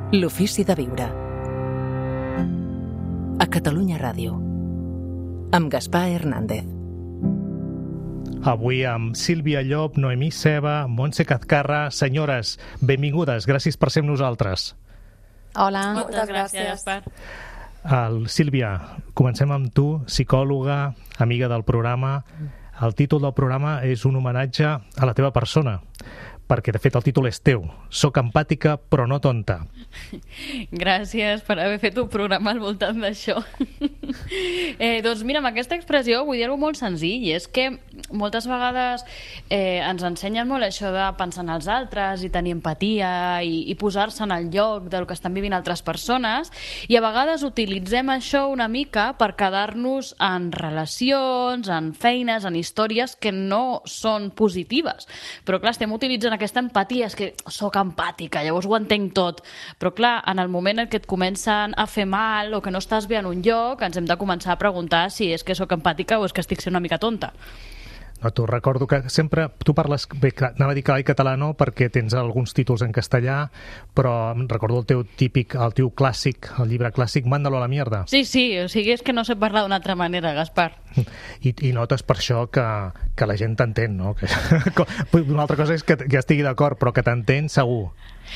L'ofici de viure. A Catalunya Ràdio. Amb Gaspar Hernández. Avui amb Sílvia Llop, Noemí Ceba, Montse Cazcarra. Senyores, benvingudes, gràcies per ser amb nosaltres. Hola. Moltes gràcies, Gaspar. Sílvia, comencem amb tu, psicòloga, amiga del programa. El títol del programa és un homenatge a la teva persona, perquè de fet el títol és teu. Soc empàtica però no tonta. Gràcies per haver fet un programa al voltant d'això. Doncs mira, amb aquesta expressió vull dir-ho molt senzill, i és que moltes vegades ens ensenyen molt això de pensar en els altres i tenir empatia i posar-se en el lloc del que estan vivint altres persones, i a vegades utilitzem això una mica per quedar-nos en relacions, en feines, en històries que no són positives. Però clar, estem utilitzant aquesta empatia, és que sóc empàtica, llavors ho entenc tot. Però clar, en el moment en què et comencen a fer mal o que no estàs bé en un lloc, ens hem de començar a preguntar si és que sóc empàtica o és que estic sent una mica tonta. No, tu recordo que sempre tu parles, bé, anava a dir clar i català no, perquè tens alguns títols en castellà, però recordo el teu típic, el teu clàssic, el llibre clàssic, Mándalo a la mierda. Sí, o sigui, és que no sé parlar d'una altra manera, Gaspar. I notes per això que la gent t'entén, no? Una altra cosa és que estigui d'acord, però que t'entén segur.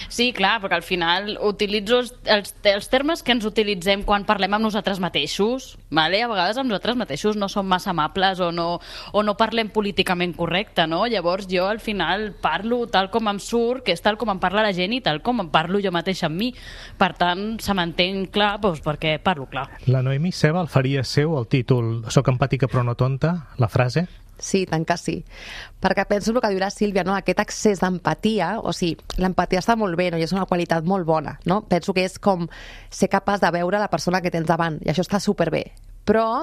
Sí, clar, perquè al final utilitzo els termes que ens utilitzem quan parlem amb nosaltres mateixos, vale? A vegades amb nosaltres mateixos no som massa amables o no parlem políticament correcte, no? Llavors jo al final parlo tal com em surt, que és tal com em parla la gent i tal com em parlo jo mateixa amb mi. Per tant, se m'entén clar, doncs perquè parlo clar. La Noemí Ceba el faria seu, el títol Soc empàtica però no tonta, la frase? Sí, tant que sí. Perquè penso el que diu la Sílvia, no? Aquest excés d'empatia, o sigui, l'empatia està molt bé, no? I és una qualitat molt bona, no? Penso que és com ser capaç de veure la persona que tens davant, i això està superbé. Però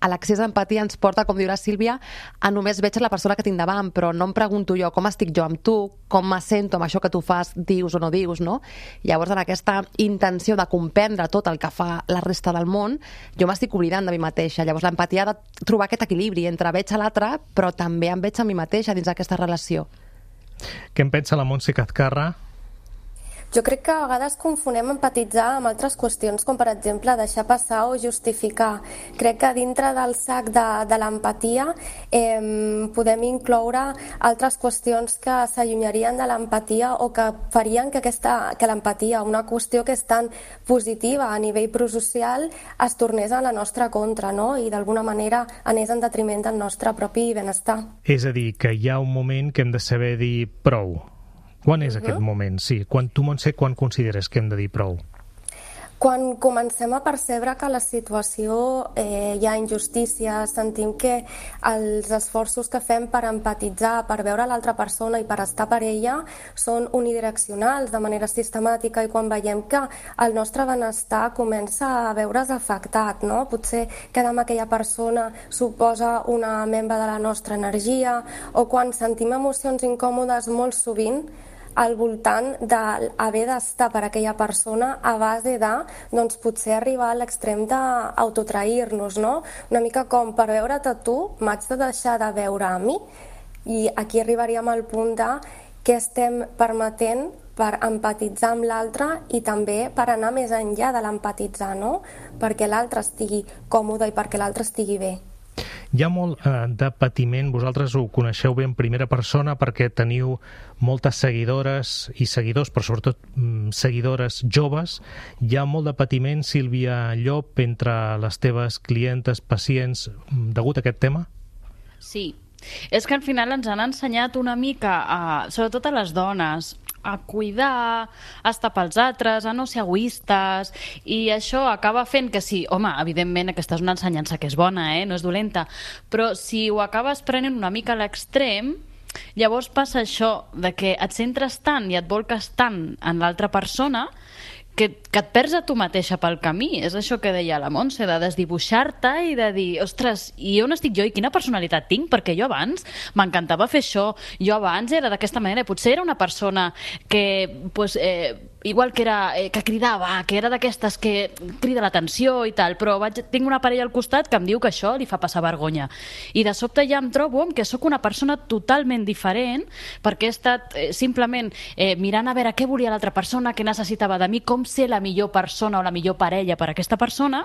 a l'accés d'empatia ens porta, com diu la Sílvia, a només veig la persona que tinc davant, però no em pregunto jo com estic jo amb tu, com me sento amb això que tu fas, dius o no dius, no? Llavors, en aquesta intenció de comprendre tot el que fa la resta del món, jo m'estic oblidant de mi mateixa. Llavors, l'empatia ha de trobar aquest equilibri entre veig a l'altre, però també em veig a mi mateixa dins d'aquesta relació. Què en pensa la Montse Cazcarra? Jo crec que a vegades confonem empatitzar amb altres qüestions, com per exemple deixar passar o justificar. Crec que dintre del sac de l'empatia podem incloure altres qüestions que s'allunyarien de l'empatia o que farien que l'empatia, una qüestió que és tan positiva a nivell prosocial, es tornés a la nostra contra, no? I d'alguna manera anés en detriment del nostre propi benestar. És a dir, que hi ha un moment que hem de saber dir prou. Quan és aquest moment? Sí. Tu, Montse, quan consideres que hem de dir prou? Quan comencem a percebre que la situació hi ha injustícia, sentim que els esforços que fem per empatitzar, per veure l'altra persona i per estar per ella són unidireccionals, de manera sistemàtica, i quan veiem que el nostre benestar comença a veure's afectat, no? Potser quedar amb aquella persona suposa una membre de la nostra energia, o quan sentim emocions incòmodes molt sovint al voltant d'haver d'estar per aquella persona a base de, doncs, potser arribar a l'extrem d'autotrair-nos, no? Una mica com, per veure't a tu, m'haig de deixar de veure a mi. I aquí arribaríem al punt de què estem permetent per empatitzar amb l'altre i també per anar més enllà de l'empatitzar, no? Perquè l'altre estigui còmode i perquè l'altre estigui bé. Hi ha molt de patiment, vosaltres ho coneixeu bé en primera persona perquè teniu moltes seguidores i seguidors, però sobretot seguidores joves. Hi ha molt de patiment, Sílvia Llop, entre les teves clientes, pacients, degut a aquest tema? Sí, és que al final ens han ensenyat una mica, sobretot a les dones, a cuidar, a estar pels altres, a no ser egoistes, i això acaba fent que sí, home, evidentment aquesta és una ensenyança que és bona, no és dolenta, però si ho acabes prenent una mica a l'extrem, llavors passa això de que et centres tant i et volques tant en l'altra persona que et perds a tu mateixa pel camí. És això que deia la Montse, de desdibuixar-te i de dir, ostres, i on estic jo i quina personalitat tinc? Perquè jo abans m'encantava fer això, jo abans era d'aquesta manera, potser era una persona que igual que cridava, que era d'aquestes que crida l'atenció i tal, però tinc una parella al costat que em diu que això li fa passar vergonya. I de sobte ja em trobo que sóc una persona totalment diferent perquè he estat simplement mirant a veure què volia l'altra persona, què necessitava de mi, com ser la millor persona o la millor parella per a aquesta persona,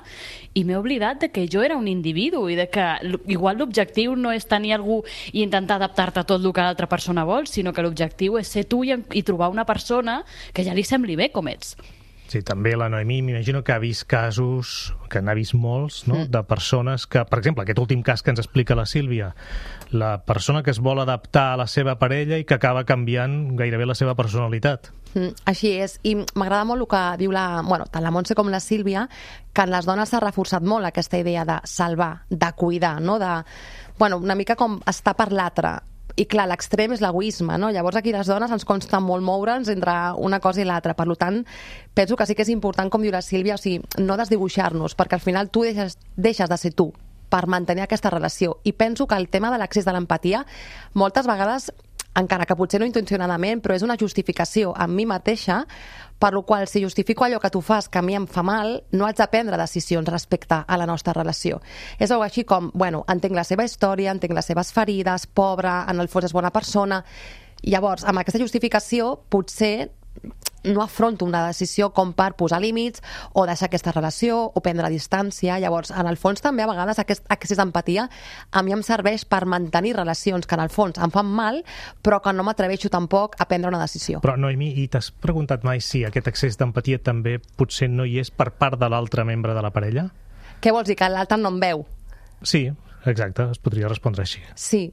i m'he oblidat de que jo era un individu i de que igual l'objectiu no és tenir algú i intentar adaptar-te a tot el que l'altra persona vol, sinó que l'objectiu és ser tu i trobar una persona que ja li sembli bé com ets. Sí, també la Noemí m'imagino que ha vist casos, que n'ha vist molts, no? De persones que, per exemple, aquest últim cas que ens explica la Sílvia, la persona que es vol adaptar a la seva parella i que acaba canviant gairebé la seva personalitat. Així és, i m'agrada molt el que diu tant la Montse com la Sílvia, que en les dones s'ha reforçat molt aquesta idea de salvar, de cuidar, no? Una mica com estar per l'altre. I clar, l'extrem és l'egoisme, no? Llavors aquí les dones ens consta molt moure'ns entre una cosa i l'altra. Per tant, penso que sí que és important, com diu la Sílvia, o sigui, no desdibuixar-nos, perquè al final tu deixes de ser tu per mantenir aquesta relació. I penso que el tema de l'accés de l'empatia, moltes vegades, encara que potser no intencionadament, però és una justificació a mi mateixa, per la qual si justifico allò que tu fas que a mi em fa mal, no haig de prendre decisions respecte a la nostra relació. És algo així com, entenc la seva història, entenc les seves ferides, pobra, en el fons és bona persona. Llavors, amb aquesta justificació, potser no afronto una decisió com per posar límits o deixar aquesta relació o prendre distància. Llavors, en el fons també a vegades aquest accés d'empatia a mi em serveix per mantenir relacions que en el fons em fan mal, però que no m'atreveixo tampoc a prendre una decisió. Però Noemí, i t'has preguntat mai si aquest accés d'empatia també potser no hi és per part de l'altre membre de la parella? Què vols dir, que l'altre no em veu? Sí, exacte, es podria respondre així. Sí.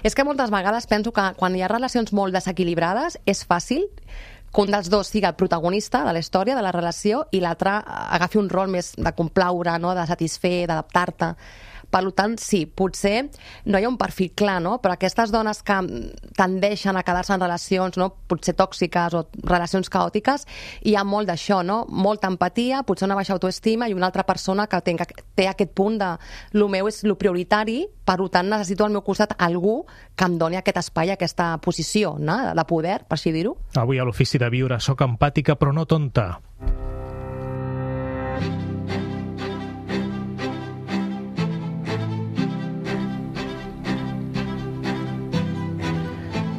És que moltes vegades penso que quan hi ha relacions molt desequilibrades és fàcil que un dels dos sigui el protagonista de la història, de la relació, i l'altre agafi un rol més de complaure, no? De satisfer, d'adaptar-te. Per tant, sí, potser no hi ha un perfil clar, no? Però aquestes dones que tendeixen a quedar-se en relacions, no? Potser tòxiques o relacions caòtiques, hi ha molt d'això, no? Molta empatia, potser una baixa autoestima i una altra persona que té aquest punt de lo meu és lo prioritari, per tant necessito al meu costat algú que em doni aquest espai, aquesta posició, no? De poder, per així dir-ho. Avui a l'Ofici de Viure soc empàtica però no tonta.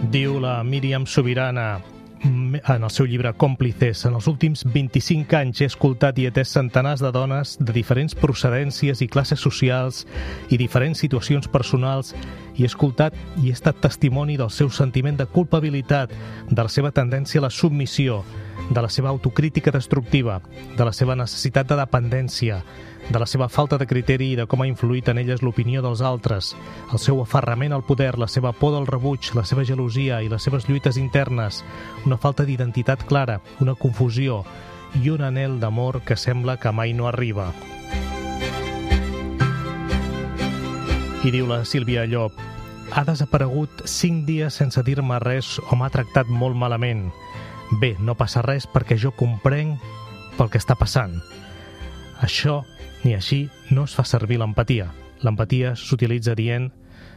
Diu la Míriam Sobirana en el seu llibre Còmplices: en els últims 25 anys he escoltat i atès centenars de dones de diferents procedències i classes socials i diferents situacions personals, i he escoltat i he estat testimoni del seu sentiment de culpabilitat, de la seva tendència a la submissió, de la seva autocrítica destructiva, de la seva necessitat de dependència, de la seva falta de criteri i de com ha influït en elles l'opinió dels altres, el seu aferrament al poder, la seva por del rebuig, la seva gelosia i les seves lluites internes, una falta d'identitat clara, una confusió i un anhel d'amor que sembla que mai no arriba. I diu la Sílvia Llop: ha desaparegut 5 dies sense dir-me res o m'ha tractat molt malament. Bé, no passa res perquè jo comprenc pel que està passant. Això ni així no es fa servir l'empatia. L'empatia s'utilitza dient,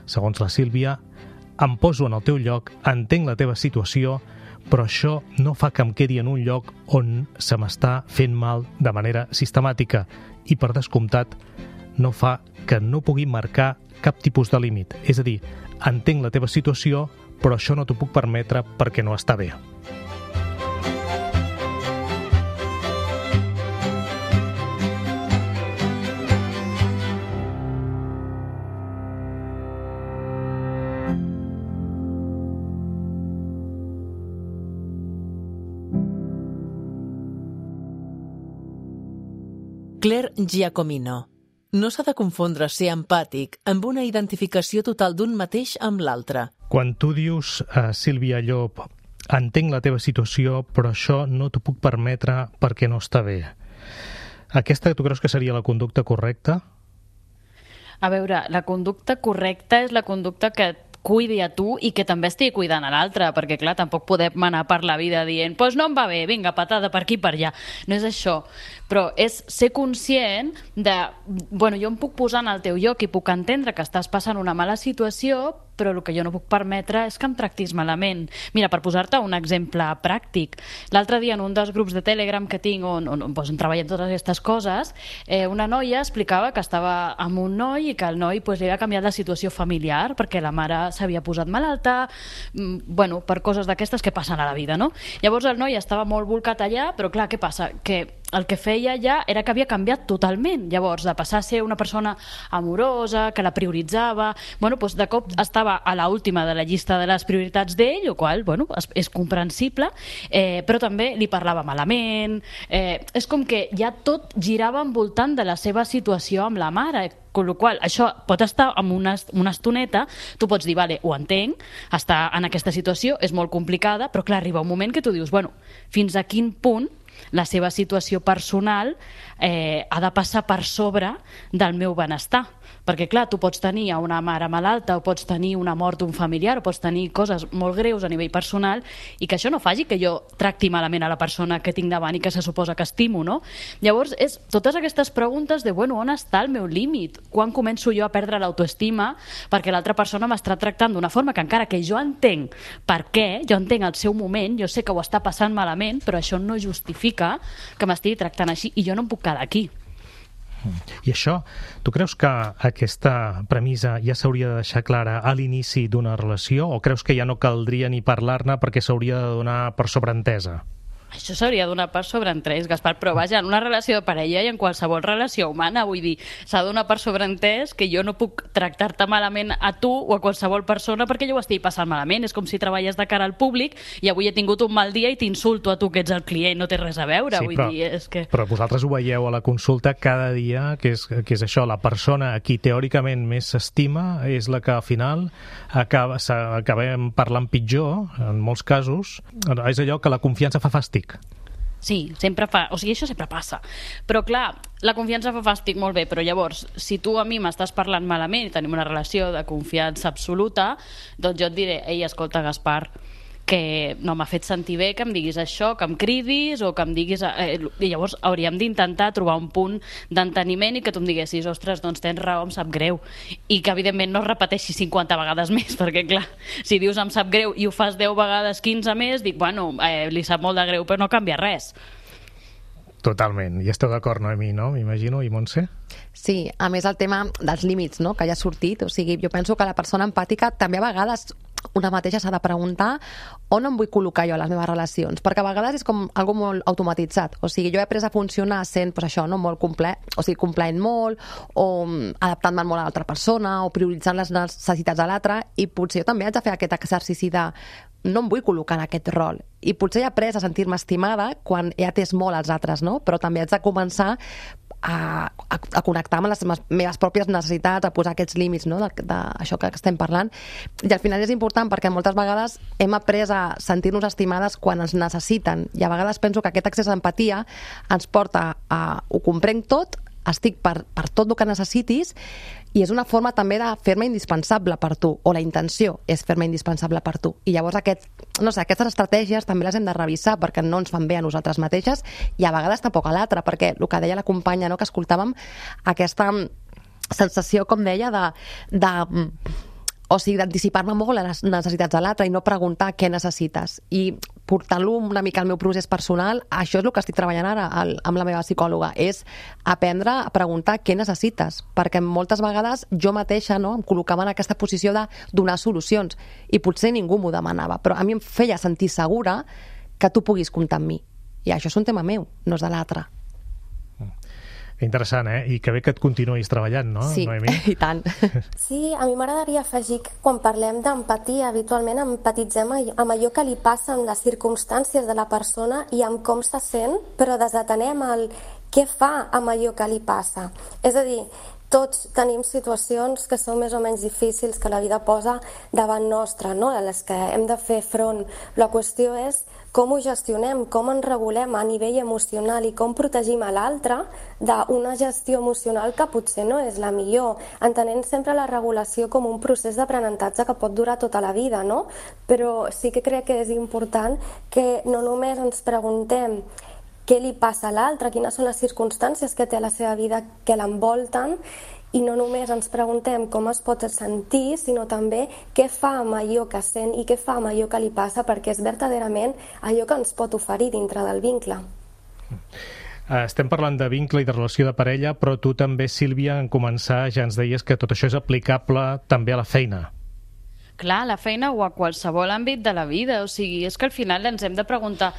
segons la Sílvia, em poso en el teu lloc, entenc la teva situació, però això no fa que em quedi en un lloc on se m'està fent mal de manera sistemàtica i, per descomptat, no fa que no pugui marcar cap tipus de límit. És a dir, entenc la teva situació, però això no t'ho puc permetre perquè no està bé. Claire Giacomino. No s'ha de confondre ser empàtic amb una identificació total d'un mateix amb l'altre. Quan tu dius, Sílvia Llop, entenc la teva situació, però això no t'ho puc permetre perquè no està bé. Aquesta tu creus que seria la conducta correcta? A veure, la conducta correcta és la conducta que cuidi a tu i que també estigui cuidant a l'altre, perquè clar, tampoc podem anar per la vida dient pues no em va bé, vinga, patada per aquí per allà. No és això, però és ser conscient de, bueno, jo em puc posar en el teu lloc i puc entendre que estàs passant una mala situació, però el que jo no puc permetre és que em tractis malament. Mira, per posar-te un exemple pràctic, l'altre dia en un dels grups de Telegram que tinc on treballem totes aquestes coses, una noia explicava que estava amb un noi i que el noi li havia canviat la situació familiar perquè la mare s'havia posat malalta, per coses d'aquestes que passen a la vida, no? Llavors el noi estava molt volcat allà, però clar, què passa? Que el que feia ja era que havia canviat totalment. Llavors, de passar a ser una persona amorosa, que la prioritzava, de cop estava a l'última de la llista de les prioritats d'ell, el qual, és comprensible, però també li parlava malament. És com que ja tot girava envoltant de la seva situació amb la mare, amb la qual això pot estar amb una estoneta, tu pots dir, vale, ho entenc, estar en aquesta situació és molt complicada, però clar, arriba un moment que tu dius, fins a quin punt la seva situació personal ha de passar per sobre del meu benestar. Perquè, clar, tu pots tenir una mare malalta o pots tenir una mort d'un familiar o pots tenir coses molt greus a nivell personal i que això no faci que jo tracti malament a la persona que tinc davant i que se suposa que estimo, no? Llavors, és totes aquestes preguntes de, on està el meu límit? Quan començo jo a perdre l'autoestima perquè l'altra persona m'està tractant d'una forma que encara que jo entenc per què, jo entenc el seu moment, jo sé que ho està passant malament, però això no justifica que m'estigui tractant així i jo no em puc quedar aquí. I això, tu creus que aquesta premissa ja s'hauria de deixar clara a l'inici d'una relació o creus que ja no caldria ni parlar-ne perquè s'hauria de donar per sobreentesa? Això s'hauria de donar per sobreentès, Gaspar, però vaja, en una relació de parella i en qualsevol relació humana, vull dir, s'ha de donar per sobreentès que jo no puc tractar-te malament a tu o a qualsevol persona perquè jo ho estigui passant malament. És com si treballes de cara al públic i avui he tingut un mal dia i t'insulto a tu que ets el client, no té res a veure, vull dir, és que... Però vosaltres ho veieu a la consulta cada dia, que és això, la persona a qui teòricament més s'estima és la que al final acabem parlant pitjor, en molts casos. És allò que la confiança fa fàstic. Sí, això sempre passa. Però clar, la confiança fa fàstic, molt bé, però llavors, si tu a mi m'estàs parlant malament i tenim una relació de confiança absoluta, doncs jo et diré, ei, escolta, Gaspar, que no m'ha fet sentir bé que em diguis això, que em cridis o que em diguis... I llavors hauríem d'intentar trobar un punt d'enteniment i que tu em diguessis, ostres, doncs tens raó, em sap greu. I que evidentment no es repeteixi 50 vegades més, perquè clar, si dius em sap greu i ho fas 10 vegades, 15 més, dic, li sap molt de greu, però no canvia res. Totalment. I esteu d'acord, Noemí, no? M'imagino. I Montse? Sí, a més el tema dels límits, no?, que ja ha sortit. O sigui, jo penso que la persona empàtica també a vegades una mateixa s'ha de preguntar on em vull col·locar jo a les meves relacions, perquè a vegades és com algo molt automatitzat. O sigui, jo he après a funcionar sent, molt complaent molt, o adaptant-me molt a l'altra persona, o prioritzant les necessitats de l'altre, i potser jo també haig de fer aquest exercici de no em vull col·locar en aquest rol. I potser he après a sentir-me estimada quan he atès molt als altres, no? Però també haig de començar a connectar amb les meves pròpies necessitats, a posar aquests límits, no?, d'això que estem parlant. I al final és important perquè moltes vegades hem après a sentir-nos estimades quan ens necessiten, i a vegades penso que aquest accés d'empatia ens porta a ho comprenc tot, estic per tot el que necessitis, i és una forma també de fer-me indispensable per tu, o la intenció és fer-me indispensable per tu. I llavors aquestes estratègies també les hem de revisar perquè no ens fan bé a nosaltres mateixes i a vegades tampoc a l'altre, perquè el que deia la companya, no?, que escoltàvem, aquesta sensació, com deia, d'anticipar-me molt a les necessitats de l'altre i no preguntar què necessites. I portant-lo una mica al meu procés personal, això és el que estic treballant ara amb la meva psicòloga, és aprendre a preguntar què necessites, perquè moltes vegades jo mateixa, no?, em col·locava en aquesta posició de donar solucions i potser ningú m'ho demanava, però a mi em feia sentir segura que tu puguis comptar amb mi. I això és un tema meu, no és de l'altre. Interessant, I que bé que et continuïs treballant, no, sí, Noemí? I tant. Sí, a mi m'agradaria afegir que quan parlem d'empatia, habitualment empatitzem amb allò que li passa en les circumstàncies de la persona i amb com se sent, però desatenem el què fa amb allò que li passa. És a dir, tots tenim situacions que són més o menys difícils que la vida posa davant nostra, no?, a les que hem de fer front. La qüestió és com ho gestionem, com ens regulem a nivell emocional i com protegim a l'altre d'una gestió emocional que potser no és la millor, entenent sempre la regulació com un procés d'aprenentatge que pot durar tota la vida, no? Però sí que crec que és important que no només ens preguntem què li passa a l'altre, quines són les circumstàncies que té a la seva vida que l'envolten i no només ens preguntem com es pot sentir, sinó també què fa amb allò que sent i què fa amb allò que li passa, perquè és verdaderament allò que ens pot oferir dintre del vincle. Estem parlant de vincle i de relació de parella, però tu també, Sílvia, en començar ja ens deies que tot això és aplicable també a la feina. Clar, a la feina o a qualsevol àmbit de la vida. O sigui, és que al final ens hem de preguntar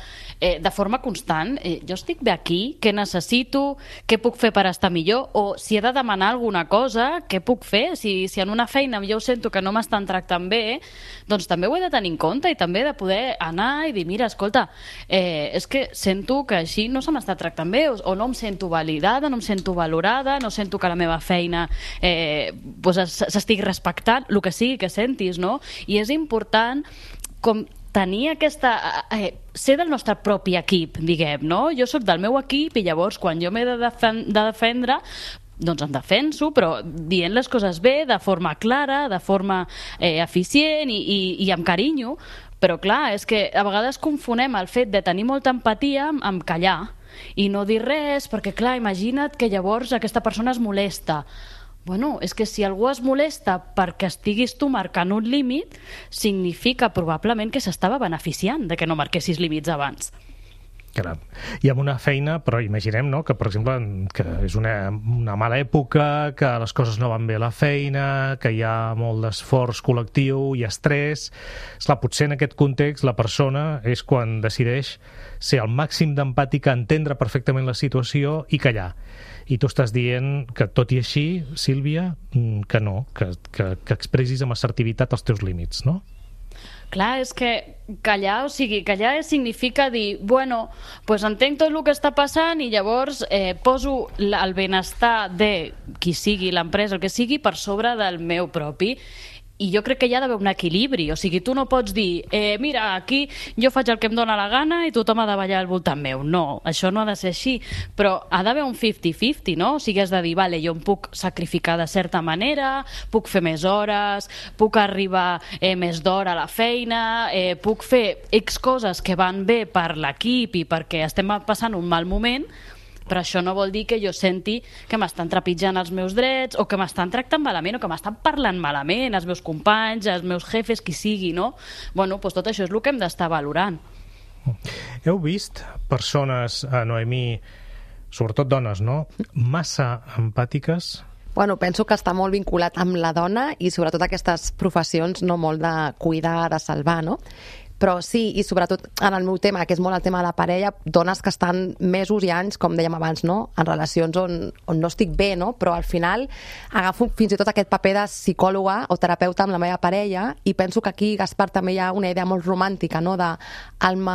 de forma constant, jo estic bé aquí? Què necessito? Què puc fer per estar millor? O si he de demanar alguna cosa, què puc fer? Si en una feina jo sento que no m'estan tractant bé, doncs també ho he de tenir en compte i també he de poder anar i dir, mira, escolta, és que sento que així no se m'està tractant bé, o no em sento validada, no em sento valorada, no sento que la meva feina s'estigui respectant, el que sigui que sentis, no? I és important com tenir aquesta... ser del nostre propi equip, diguem, no? Jo sóc del meu equip i llavors quan jo m'he de defendre, doncs em defenso, però dient les coses bé, de forma clara, de forma eficient i amb carinyo. Però clar, és que a vegades confonem el fet de tenir molta empatia amb callar i no dir res, perquè clar, imagina't que llavors aquesta persona es molesta. Bueno, és que si algú es molesta perquè estiguis tu marcant un límit, significa probablement que s'estava beneficiant de que no marquessis límits abans. Caram. I amb una feina, però imaginem, no?, que, per exemple, que és una mala època, que les coses no van bé a la feina, que hi ha molt d'esforç col·lectiu i estrès. Esclar, potser en aquest context la persona és quan decideix ser al màxim d'empàtica, entendre perfectament la situació i callar. I tu estàs dient que, tot i així, Sílvia, que no, que expressis amb assertivitat els teus límits, no? Clar, és que callar, o sigui, callar significa dir, bueno, pues entenc tot el que està passant i llavors poso el benestar de qui sigui, l'empresa, el que sigui, per sobre del meu propi. I jo crec que hi ha d'haver un equilibri, o sigui, tu no pots dir, mira, aquí jo faig el que em dóna la gana i tothom ha de ballar al voltant meu. No, això no ha de ser així, però ha d'haver un 50-50, no? O sigui, has de dir, vale, jo em puc sacrificar de certa manera, puc fer més hores, puc arribar més d'hora a la feina, puc fer X coses que van bé per l'equip i perquè estem passant un mal moment, però això no vol dir que jo senti que m'estan trepitjant els meus drets o que m'estan tractant malament o que m'estan parlant malament els meus companys, els meus jefes, qui sigui, no? Bueno, doncs tot això és el que hem d'estar valorant. Heu vist persones, Noemí, sobretot dones, no?, massa empàtiques? Bueno, penso que està molt vinculat amb la dona i sobretot aquestes professions no molt de cuidar, de salvar, no? Però sí, i sobretot en el meu tema, que és molt el tema de la parella, dones que estan mesos i anys, com dèiem abans, no?, en relacions on no estic bé, no?, però al final agafo fins i tot aquest paper de psicòloga o terapeuta amb la meva parella i penso que aquí, Gaspar, també hi ha una idea molt romàntica, no?, de amb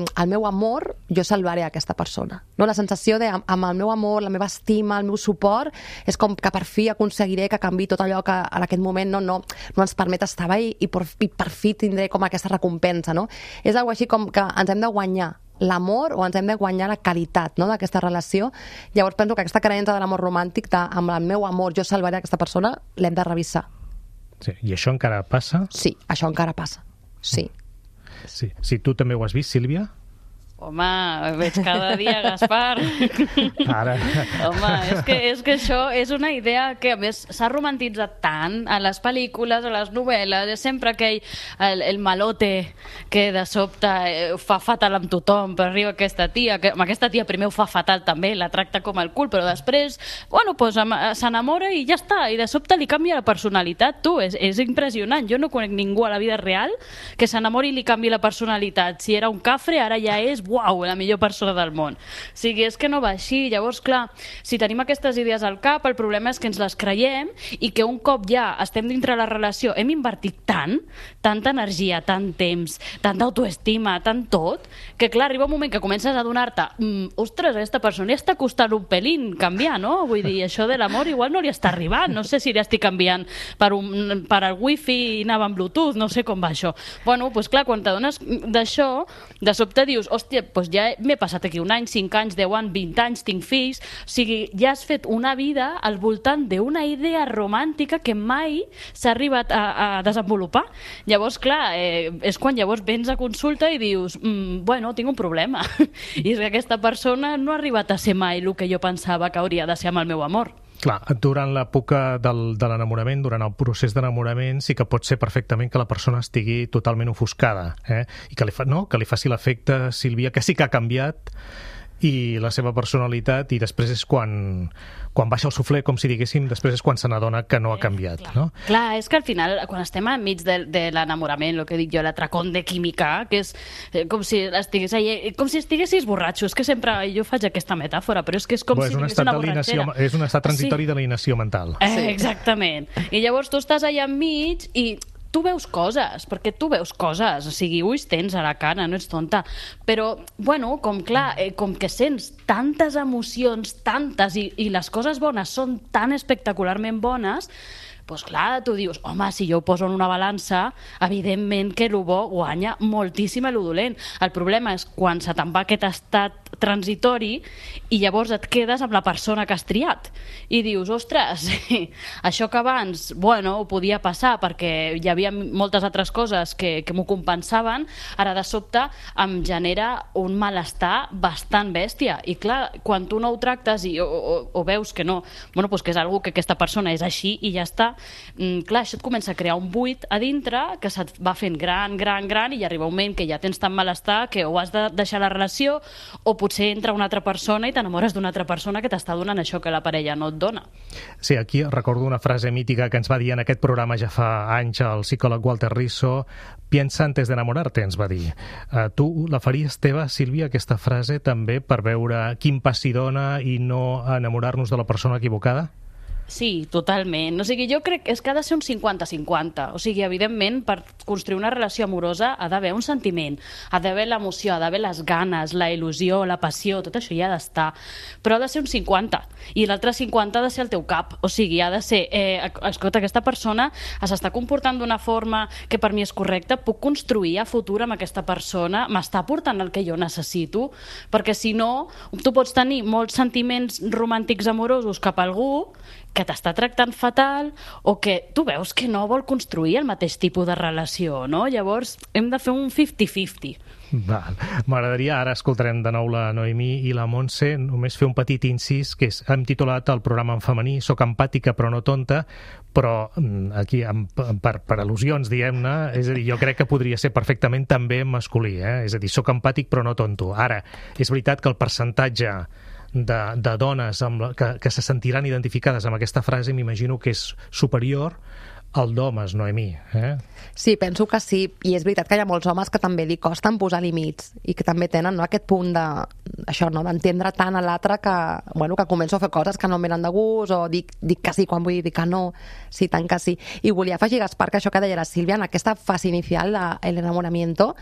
el meu amor jo salvaré aquesta persona, no? La sensació de amb el meu amor, la meva estima, el meu suport, és com que per fi aconseguiré que canvi tot allò que en aquest moment no ens permet estar bé i per fi tindré com aquesta recompensa, no? És algo així com que ens hem de guanyar l'amor o ens hem de guanyar la qualitat, no?, d'aquesta relació. Llavors penso que aquesta creença de l'amor romàntic, amb el meu amor jo salvaré aquesta persona, l'hem de revisar. Sí. I això encara passa? Sí, això encara passa, sí. Sí. Si tu també ho has vist, Sílvia? Home, veig cada dia, Gaspar. Ara. Home, és que això és una idea que, a més, s'ha romantitzat tant a les pel·lícules, a les novel·les, és sempre aquell, el malote que de sobte fa fatal amb tothom, però arriba aquesta tia, que amb aquesta tia primer ho fa fatal també, la tracta com el cul, però després, bueno, pues, s'enamora i ja està, i de sobte li canvia la personalitat, tu, és impressionant. Jo no conec ningú a la vida real que s'enamori i li canvi la personalitat. Si era un cafre, ara ja és uau, la millor persona del món. O sigui, és que no va així. Llavors, clar, si tenim aquestes idees al cap, el problema és que ens les creiem i que un cop ja estem dintre la relació, hem invertit tanta energia, tant temps, tanta autoestima, tant tot, que clar, arriba un moment que comences a donar-te ostres, aquesta persona ja està costant un pelín canviar, no? Vull dir, això de l'amor igual no li està arribant, no sé si li estic canviant per el wifi i anava amb Bluetooth, no sé com va això. Bueno, doncs clar, quan t'adones d'això, de sobte dius, hòstia, doncs ja m'he passat aquí un any, 5 anys, 10 anys, 20 anys, tinc fills, o sigui, ja has fet una vida al voltant d'una idea romàntica que mai s'ha arribat a desenvolupar. Llavors, clar, és quan llavors vens a consulta i dius, bueno, tinc un problema. I és que aquesta persona no ha arribat a ser mai el que jo pensava que hauria de ser amb el meu amor. Clar, durant l'època de l'enamorament, durant el procés d'enamorament, sí que pot ser perfectament que la persona estigui totalment ofuscada, i que li faci l'efecte, Sílvia, que sí que ha canviat i la seva personalitat, i després és quan baixa el suflé, com si diguéssim, després és quan se n'adona que no ha canviat. Clar. No? Clar, és que al final, quan estem enmig de l'enamorament, el que dic jo, l'atracón de química, que és com si estiguessis borratxo, és que sempre jo faig aquesta metàfora, però és que és com si tingués una borratxera. És un estat transitori de l'alienació mental. Exactament. I llavors tu estàs allà enmig i tu veus coses, perquè tu veus coses, o sigui, ulls tens a la cara, no ets tonta, però, bueno, com que sents tantes emocions, tantes, i les coses bones són tan espectacularment bones, doncs clar, tu dius, home, si jo ho poso en una balança, evidentment que el bo guanya moltíssim el dolent. El problema és quan se te'n va aquest estat transitori i llavors et quedes amb la persona que has triat. I dius, ostres, això que abans, bueno, ho podia passar perquè hi havia moltes altres coses que m'ho compensaven, ara de sobte em genera un malestar bastant bèstia. I clar, quan tu no ho tractes o veus que no, bueno, doncs que és algú que aquesta persona és així i ja està, clar, això et comença a crear un buit a dintre que se't va fent gran i arriba un moment que ja tens tan malestar que o has de deixar la relació o potser entra una altra persona i t'enamores d'una altra persona que t'està donant això que la parella no et dona. Sí, aquí recordo una frase mítica que ens va dir en aquest programa ja fa anys el psicòleg Walter Rizzo: piensa antes de enamorarte, ens va dir. Tu la faries teva, Sílvia, aquesta frase, també per veure quin pas s'hi dona i no enamorar-nos de la persona equivocada? Sí, totalment. O sigui, jo crec que és que ha de ser un 50-50. O sigui, evidentment, per construir una relació amorosa ha d'haver un sentiment, ha d'haver l'emoció, ha d'haver les ganes, la il·lusió, la passió, tot això hi ha d'estar. Però ha de ser un 50. I l'altre 50 ha de ser el teu cap. O sigui, ha de ser, escolta, aquesta persona s'està comportant d'una forma que per mi és correcta, puc construir a futur amb aquesta persona, m'està portant el que jo necessito, perquè si no, tu pots tenir molts sentiments romàntics amorosos cap a algú que t'està tractant fatal o que tu veus que no vol construir el mateix tipus de relació, no? Llavors hem de fer un 50-50. M'agradaria, ara escoltarem de nou la Noemí i la Montse, només fer un petit incís, que hem titulat el programa en femení Soc empàtica però no tonta, però aquí per al·lusions, diguem-ne, és a dir, jo crec que podria ser perfectament també masculí, és a dir, soc empàtic però no tonto. Ara, és veritat que el percentatge de dones que se sentiran identificades amb aquesta frase m'imagino que és superior al d'homes, Noemí. Sí, penso que sí, i és veritat que hi ha molts homes que també li costen posar límits i que també tenen aquest punt d'entendre tant a l'altre que començo a fer coses que no em venen de gust o dic que sí quan vull dir que no, sí, tant que sí. I volia afegir, Gaspar, que això que deia la Sílvia, en aquesta fase inicial de l'enamoramiento,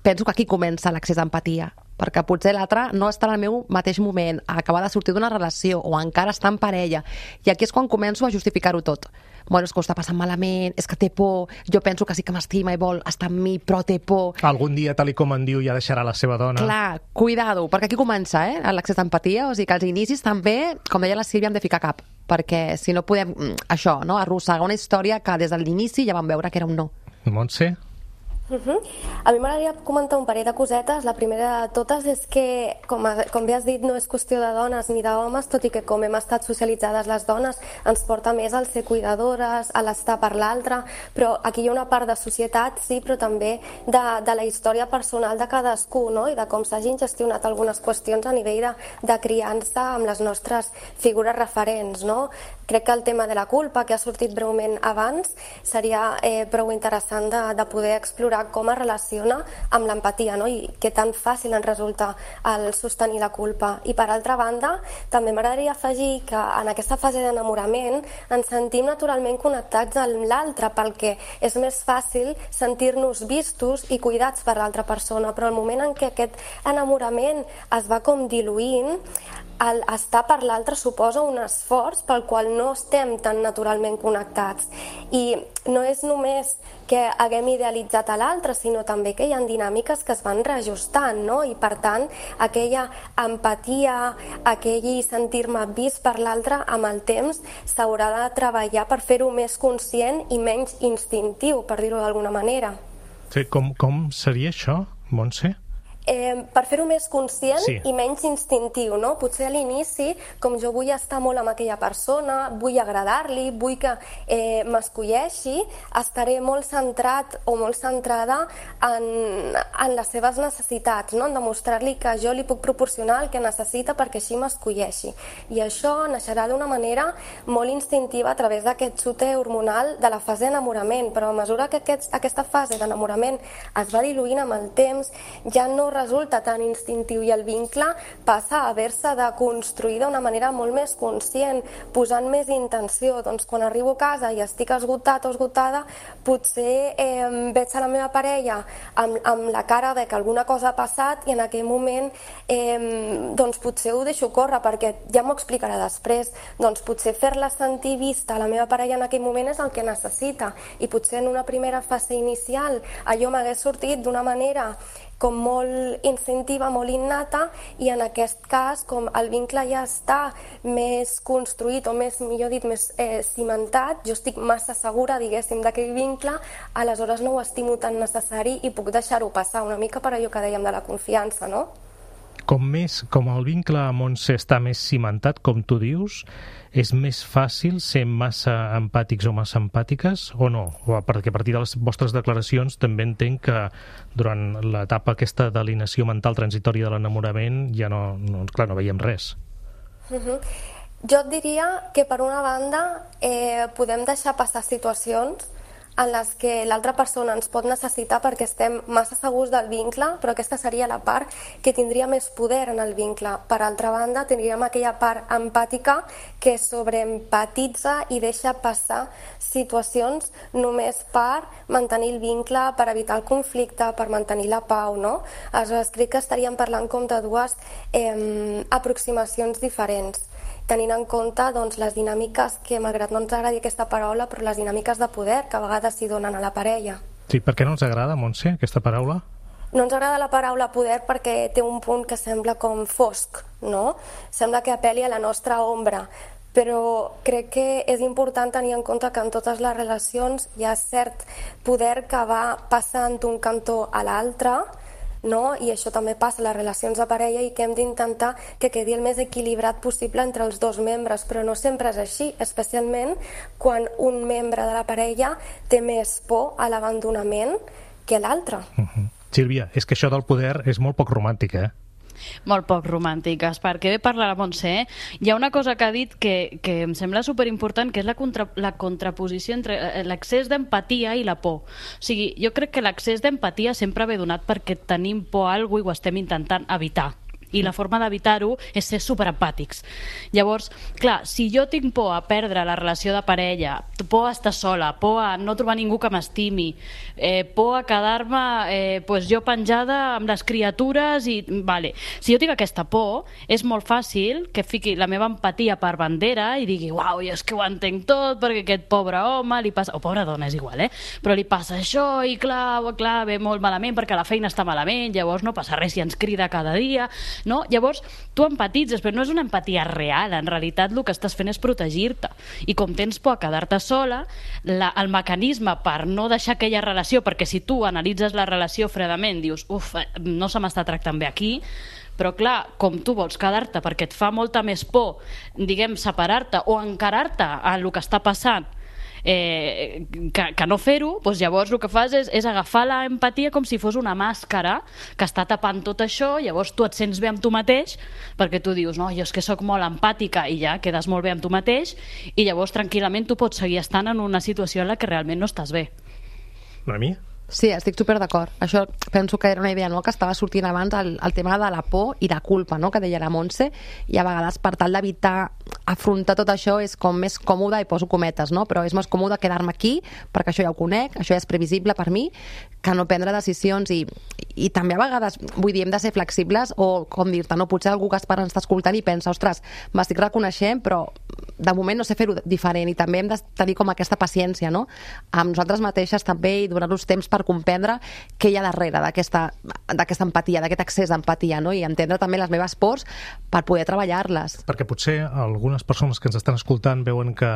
penso que aquí comença l'accés d'empatia, perquè potser l'altre no està en el meu mateix moment, acaba de sortir d'una relació o encara està en parella, i aquí és quan començo a justificar-ho tot. Bueno, és que ho està passant malament, és que té por, jo penso que sí que m'estima i vol estar amb mi, però té por. Algun dia, tal com en diu, ja deixarà la seva dona. Clar, cuidado, perquè aquí comença l'accés d'empatia, o sigui que als inicis també, com deia la Sílvia, hem de ficar cap, perquè si no podem, arrossegar una història que des de l'inici ja vam veure que era un no. Montse? A mi m'agradaria comentar un parell de cosetes. La primera de totes és que, com bé has dit, no és qüestió de dones ni d'homes, tot i que com hem estat socialitzades les dones ens porta més al ser cuidadores, a l'estar per l'altre, però aquí hi ha una part de societat, sí, però també de la història personal de cadascú, no? I de com s'hagin gestionat algunes qüestions a nivell de criança amb les nostres figures referents, no? Crec que el tema de la culpa, que ha sortit breument abans, seria prou interessant de poder explorar com es relaciona amb l'empatia, no? I que tan fàcil ens resulta el sostenir la culpa. I per altra banda, també m'agradaria afegir que en aquesta fase d'enamorament ens sentim naturalment connectats amb l'altre, perquè és més fàcil sentir-nos vistos i cuidats per l'altra persona, però el moment en què aquest enamorament es va com diluint, el estar per l'altre suposa un esforç pel qual no estem tan naturalment connectats. I no és només que haguem idealitzat a l'altre, sinó també que hi ha dinàmiques que es van reajustant, no? I per tant, aquella empatia, aquell sentir-me vist per l'altre, amb el temps s'haurà de treballar per fer-ho més conscient i menys instintiu, per dir-ho d'alguna manera. Sí, com seria això, Montse? per fer-ho més conscient Sí. i menys instintiu, no? Potser a l'inici, com jo vull estar molt amb aquella persona, vull agradar-li, vull que m'escolleixi, estaré molt centrat o molt centrada en les seves necessitats, no? En demostrar-li que jo li puc proporcionar el que necessita perquè així m'escolleixi. I això naixerà d'una manera molt instintiva a través d'aquest xute hormonal de la fase d'enamorament, però a mesura que aquesta fase d'enamorament es va diluint amb el temps, ja no resulta tan instintiu i el vincle passa a haver-se de construir d'una manera molt més conscient, posant més intenció. Doncs quan arribo a casa i estic esgotat o esgotada, potser veig a la meva parella amb la cara de que alguna cosa ha passat i en aquell moment doncs potser ho deixo córrer perquè ja m'ho explicarà després. Doncs potser fer-la sentir vista a la meva parella en aquell moment és el que necessita i potser en una primera fase inicial allò m'hagués sortit d'una manera com molt instintiva, molt innata, i en aquest cas, com el vincle ja està més construït o més, millor dit, més cimentat, jo estic massa segura, diguéssim, d'aquell vincle, aleshores no ho estimo tan necessari i puc deixar-ho passar, una mica per allò que dèiem de la confiança, no? Com el vincle amb Montse està més cimentat, com tu dius, és més fàcil ser massa empàtics o massa empàtiques o no? Perquè a partir de les vostres declaracions també entenc que durant l'etapa aquesta d'alienació mental transitòria de l'enamorament ja no veiem res. Jo et diria que per una banda podem deixar passar situacions en les que l'altra persona ens pot necessitar perquè estem massa segurs del vincle, però aquesta seria la part que tindria més poder en el vincle. Per altra banda, tindríem aquella part empàtica que sobreempatitza i deixa passar situacions només per mantenir el vincle, per evitar el conflicte, per mantenir la pau, no? Aleshores, crec que estaríem parlant com de dues aproximacions diferents, tenint en compte doncs, les dinàmiques que, malgrat no ens agradi aquesta paraula, però les dinàmiques de poder que a vegades s'hi donen a la parella. Sí, per què no ens agrada, Montse, aquesta paraula? No ens agrada la paraula poder perquè té un punt que sembla com fosc, no? Sembla que apel·li a la nostra ombra, però crec que és important tenir en compte que en totes les relacions hi ha cert poder que va passant d'un cantó a l'altre, no? I això també passa a les relacions de parella i que hem d'intentar que quedi el més equilibrat possible entre els dos membres, però no sempre és així, especialment quan un membre de la parella té més por a l'abandonament que l'altre. Sílvia, és que això del poder és molt poc romàntic, Molt poc romàntiques, perquè bé parla la Montse, hi ha una cosa que ha dit que em sembla superimportant, que és la contraposició entre l'excés d'empatia i la por. O sigui, jo crec que l'excés d'empatia sempre ve donat perquè tenim por a alguna cosa i ho estem intentant evitar. I la forma d'evitar-ho és ser superempàtics. Llavors, clar, si jo tinc por a perdre la relació de parella, por a estar sola, por a no trobar ningú que m'estimi, por a quedar-me jo penjada amb les criatures i... Vale. Si jo tinc aquesta por, és molt fàcil que fiqui la meva empatia per bandera i digui, uau, jo és que ho entenc tot perquè aquest pobre home li passa... O pobra dona, és igual, però li passa això i clar, ve molt malament perquè la feina està malament, llavors no passa res si ens crida cada dia... No? Llavors, tu empatitzes, però no és una empatia real. En realitat, el que estàs fent és protegir-te. I com tens por a quedar-te sola, el mecanisme per no deixar aquella relació, perquè si tu analitzes la relació fredament, dius, no se m'està tractant bé aquí, però clar, com tu vols quedar-te perquè et fa molta més por, diguem, separar-te o encarar-te a el que està passant, que no fer-ho, doncs llavors el que fas és agafar l'empatia com si fos una màscara que està tapant tot això, llavors tu et sents bé amb tu mateix perquè tu dius, no, jo és que sóc molt empàtica i ja quedes molt bé amb tu mateix i llavors tranquil·lament tu pots seguir estant en una situació en la que realment no estàs bé. Noemí? Sí, estic super d'acord. Això penso que era una idea, no?, que estava sortint abans el tema de la por i la culpa, no?, que deia la Montse, i a vegades per tal d'evitar afrontar tot això és com més còmode, i poso cometes, no?, però és més còmode quedar-me aquí perquè això ja ho conec, això ja és previsible per mi, que no prendre decisions i també a vegades, vull dir, hem de ser flexibles o, com dir-te, no, potser algú que està escoltant i pensa, ostres, m'estic reconeixent, però de moment no sé fer-ho diferent i també hem de tenir com aquesta paciència, no?, amb nosaltres mateixes també i donar-nos temps per comprendre què hi ha darrere d'aquesta empatia, d'aquest excés d'empatia, no?, i entendre també les meves pors per poder treballar-les. Perquè potser alguna algunes persones que ens estan escoltant veuen que,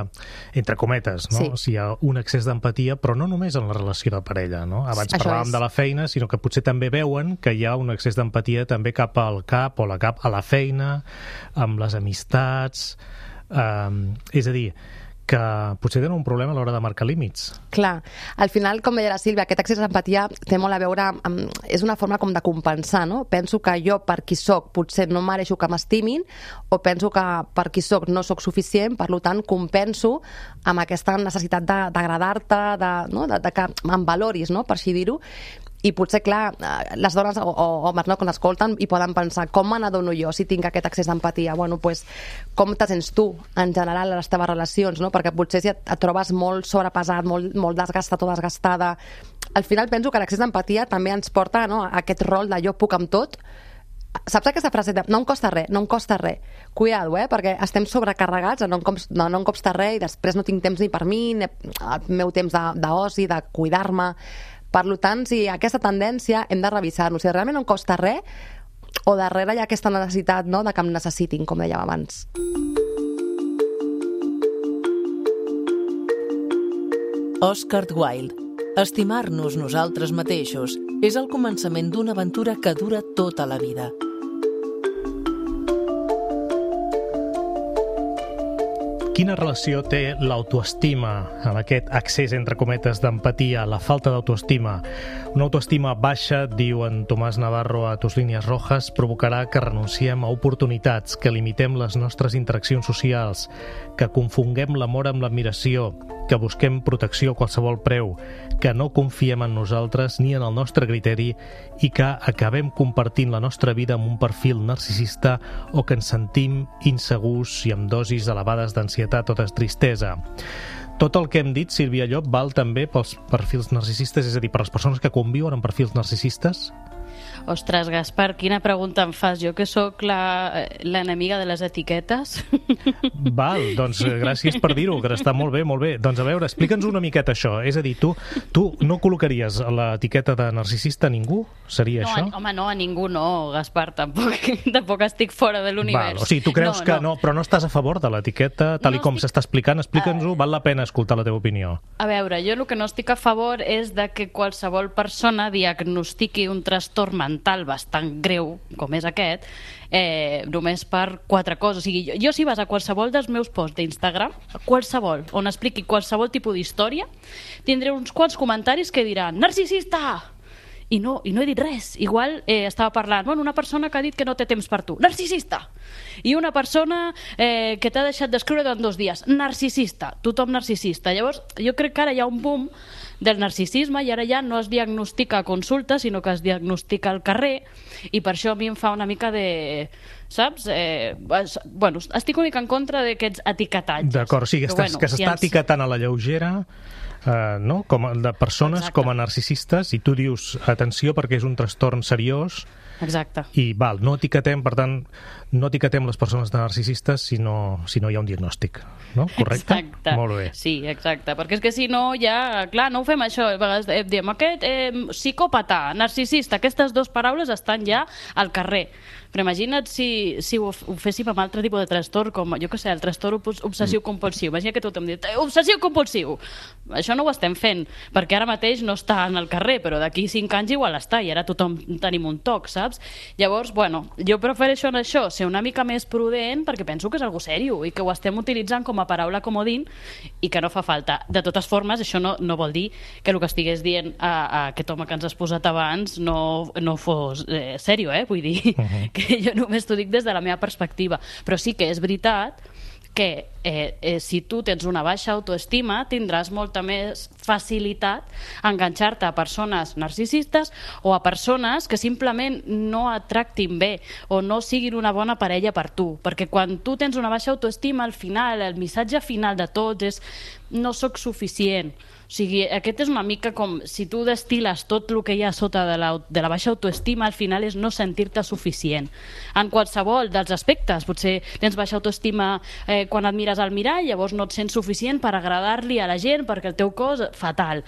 entre cometes, no? Sí. Hi ha un excés d'empatia, però no només en la relació de parella, no? Abans Això parlàvem és. de la feina, sinó que potser també veuen que hi ha un excés d'empatia també cap al cap o a la feina, amb les amistats... és a dir, que potser tenen un problema a l'hora de marcar límits. Clar, al final, com deia la Sílvia, aquest excés d'empatia té molt a veure amb... És una forma com de compensar, no? Penso que jo, per qui soc, potser no mereixo que m'estimin, o penso que per qui soc no soc suficient, per tant, compenso amb aquesta necessitat d'agradar-te, de que em valoris, no? Per així dir-ho. I potser, clar, les dones o homes, no, quan escolten i poden pensar com me n'adono jo si tinc aquest excés d'empatia? Bueno, pues, com te sents tu, en general, a les teves relacions, no? Perquè potser si et trobes molt sobrepesat, molt desgastat o desgastada... Al final penso que l'excés d'empatia també ens porta, no, a aquest rol de jo puc amb tot. Saps aquesta frase de no em costa res, no em costa res? Cuidado, perquè estem sobrecarregats, no em costa res i després no tinc temps ni per mi, el meu temps d'oci, de cuidar-me... Per tant, si aquesta tendència hem de revisar-nos. Si realment no em costa res o darrere hi ha aquesta necessitat, no, de que em necessitin, com dèiem abans. Oscar Wilde. Estimar-nos nosaltres mateixos és el començament d'una aventura que dura tota la vida. Quina relació té l'autoestima amb aquest accés, entre cometes, d'empatia, la falta d'autoestima? Una autoestima baixa, diu en Tomàs Navarro a Tus línies rojas, provocarà que renunciem a oportunitats, que limitem les nostres interaccions socials, que confonguem l'amor amb l'admiració, que busquem protecció a qualsevol preu, que no confiem en nosaltres ni en el nostre criteri i que acabem compartint la nostra vida amb un perfil narcisista o que ens sentim insegurs i amb dosis elevades d'ansietat o de tristesa. Tot el que hem dit, Sílvia Llop, val també pels perfils narcisistes, és a dir, per les persones que conviuen amb perfils narcisistes? Ostres, Gaspar, quina pregunta em fas? Jo que sóc l'enemiga de les etiquetes. Val, doncs gràcies per dir-ho, que està molt bé, molt bé. Doncs a veure, explica'ns una miqueta això. És a dir, tu no col·locaries l'etiqueta de narcisista a ningú? Seria no, això? Home, no, a ningú no, Gaspar, tampoc estic fora de l'univers. O sigui, tu creus que no, però no estàs a favor de l'etiqueta, tal com s'està explicant? Explica'ns-ho, val la pena escoltar la teva opinió. A veure, jo el que no estic a favor és de que qualsevol persona diagnostiqui un trastorn mental bastant greu, com és aquest, només per 4 coses. O sigui, jo si vas a qualsevol dels meus posts d'Instagram, qualsevol, on expliqui qualsevol tipus d'història, tindré uns quants comentaris que diran narcisista! I no he dit res. Igual estava parlant, una persona que ha dit que no té temps per tu, narcisista! I una persona que t'ha deixat d'escriure durant 2 dies, narcisista, tothom narcisista. Llavors, jo crec que ara hi ha un boom del narcisisme i ara ja no es diagnostica a consulta, sinó que es diagnostica al carrer, i per això a mi em fa una mica de... Saps? Estic una mica en contra d'aquests etiquetatges. D'acord, o sigui, que s'està etiquetant a la lleugera no? De persones. Exacte. Com a narcisistes, i tu dius, atenció, perquè és un trastorn seriós. Exacte. I no etiquetem, per tant, no etiquetem les persones de narcisistes si no hi ha un diagnòstic, no? Correcte? Exacte. Molt bé. Sí, exacte, perquè és que si no ja, clar, no ho fem això, a vegades diem aquest psicòpata, narcisista, aquestes 2 paraules estan ja al carrer. Però imagina't si ho féssim amb altre tipus de trastorn, com, jo què sé, el trastorn obsessiu-compulsiu. Imagina que tothom diu, obsessiu-compulsiu! Això no ho estem fent, perquè ara mateix no està en el carrer, però d'aquí 5 anys igual està, i ara tothom tenim un toc, saps? Llavors, jo prefereixo en això ser una mica més prudent, perquè penso que és algo sèrio, i que ho estem utilitzant com a paraula comodín, i que no fa falta. De totes formes, això no vol dir que el que estigués dient a aquest home que ens has posat abans no fos sèrio, vull dir, que jo només t'ho dic des de la meva perspectiva, però sí que és veritat que si tu tens una baixa autoestima tindràs molta més facilitat a enganxar-te a persones narcisistes o a persones que simplement no et tractin bé o no siguin una bona parella per tu, perquè quan tu tens una baixa autoestima, al final el missatge final de tots és no sóc suficient. O sigui, aquest és una mica com si tu destil·les tot el que hi ha sota de la baixa autoestima, al final és no sentir-te suficient. En qualsevol dels aspectes, potser tens baixa autoestima quan et mires al mirall, llavors no et sents suficient per agradar-li a la gent perquè el teu cos fatal,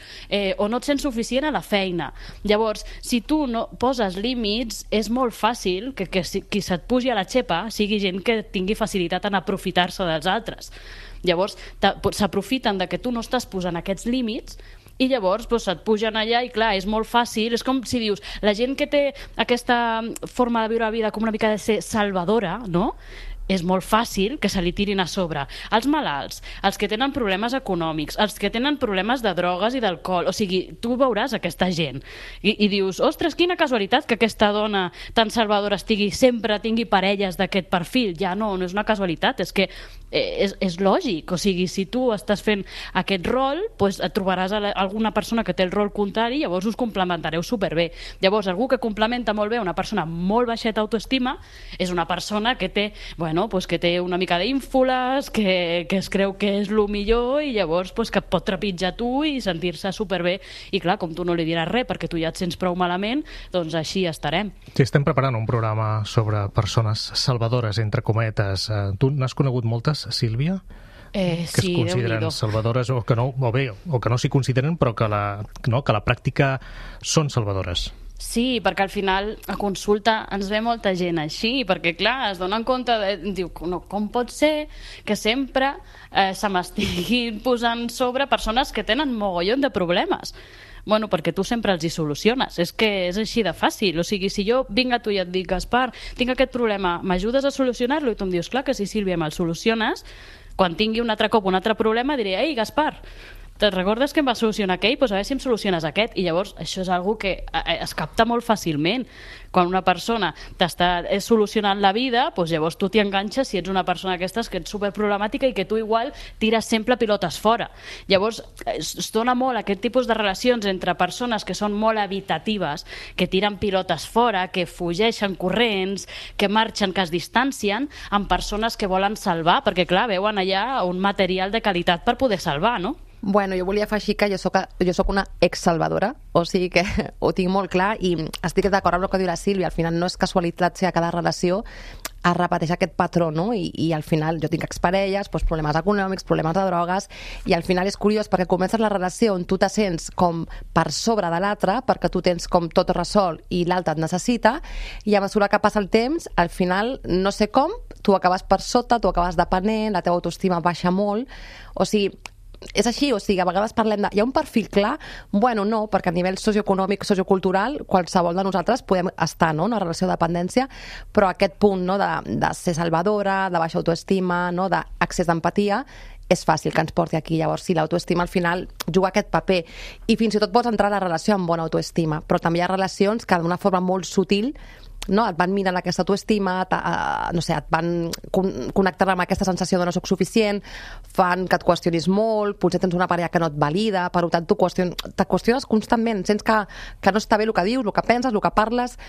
o no et sents suficient a la feina. Llavors, si tu no poses límits, és molt fàcil que qui se't pugi a la xepa sigui gent que tingui facilitat en aprofitar-se dels altres. Llavors, s'aprofiten de que tu no estàs posant aquests límits i llavors se't pugen allà i clar, és molt fàcil, és com si dius la gent que té aquesta forma de viure la vida com una mica de ser salvadora, no? És molt fàcil que se li tirin a sobre. Els malalts, els que tenen problemes econòmics, els que tenen problemes de drogues i d'alcohol, o sigui, tu veuràs aquesta gent i dius, ostres, quina casualitat que aquesta dona tan salvadora sempre tingui parelles d'aquest perfil. Ja no és una casualitat, és que és lògic, o sigui, si tu estàs fent aquest rol, et trobaràs alguna persona que té el rol contrari i llavors us complementareu superbé. Llavors, algú que complementa molt bé una persona molt baixeta autoestima és una persona que té, que té una mica d'ínfoles, que es creu que és el millor i llavors que et pot trepitjar tu i sentir-se superbé. I clar, com tu no li diràs res perquè tu ja et sents prou malament, doncs així estarem. Sí, estem preparant un programa sobre persones salvadores, entre cometes. Tu n'has conegut moltes, Sílvia? Que es consideren salvadores o que no s'hi consideren però que la pràctica són salvadores. Sí, perquè al final a consulta ens ve molta gent així, perquè clar, es donen compte diu, no, com pot ser que sempre se m'estiguin posant sobre persones que tenen mogollon de problemes? Bueno, perquè tu sempre els hi soluciones, és que és així de fàcil, o sigui, si jo vinc a tu i et dic, Gaspar, tinc aquest problema, m'ajudes a solucionar-lo? I tu em dius, clar que sí, Sílvia, me'l soluciones, quan tingui un altre cop un altre problema diré, ei, Gaspar, te'n recordes que em va solucionar aquell? Doncs a veure si em soluciones aquest. I llavors això és una cosa que es capta molt fàcilment. Quan una persona t'està solucionant la vida, doncs llavors tu t'hi enganxes si ets una persona d'aquestes que ets superproblemàtica i que tu igual tires sempre pilotes fora. Llavors es dona molt aquest tipus de relacions entre persones que són molt evitatives, que tiren pilotes fora, que fugeixen corrents, que marxen, que es distancien, amb persones que volen salvar, perquè clar, veuen allà un material de qualitat per poder salvar, no? Bueno, jo volia afegir que jo soc una ex-salvadora, o sigui que ho tinc molt clar i estic d'acord amb el que diu la Sílvia. Al final no és casualitat si a cada relació es repeteix aquest patró, no? I al final jo tinc exparelles, problemes econòmics, problemes de drogues, i al final és curiós perquè comences la relació on tu te sents com per sobre de l'altre, perquè tu tens com tot resolt i l'altre et necessita, i a mesura que passa el temps, al final, no sé com, tu acabes per sota, tu acabes depenent, la teva autoestima baixa molt, o sigui, és així, o sigui, a vegades parlem de... Hi ha un perfil clar? Bueno, no, perquè a nivell socioeconòmic, sociocultural, qualsevol de nosaltres podem estar, no?, en una relació de dependència, però aquest punt, no?, de ser salvadora, de baixa autoestima, no?, d'accés d'empatia, és fàcil que ens porti aquí. Llavors, sí, l'autoestima al final juga aquest paper. I fins i tot pots entrar a la relació amb bona autoestima, però també hi ha relacions que d'una forma molt sutil, no, et van minant aquesta autoestima, no sé, et van connectant amb aquesta sensació de no soc suficient, fan que et qüestionis molt, potser tens una parella que no et valida, per tant te qüestiones constantment, sents que no està bé el que dius, el que penses, el que parles,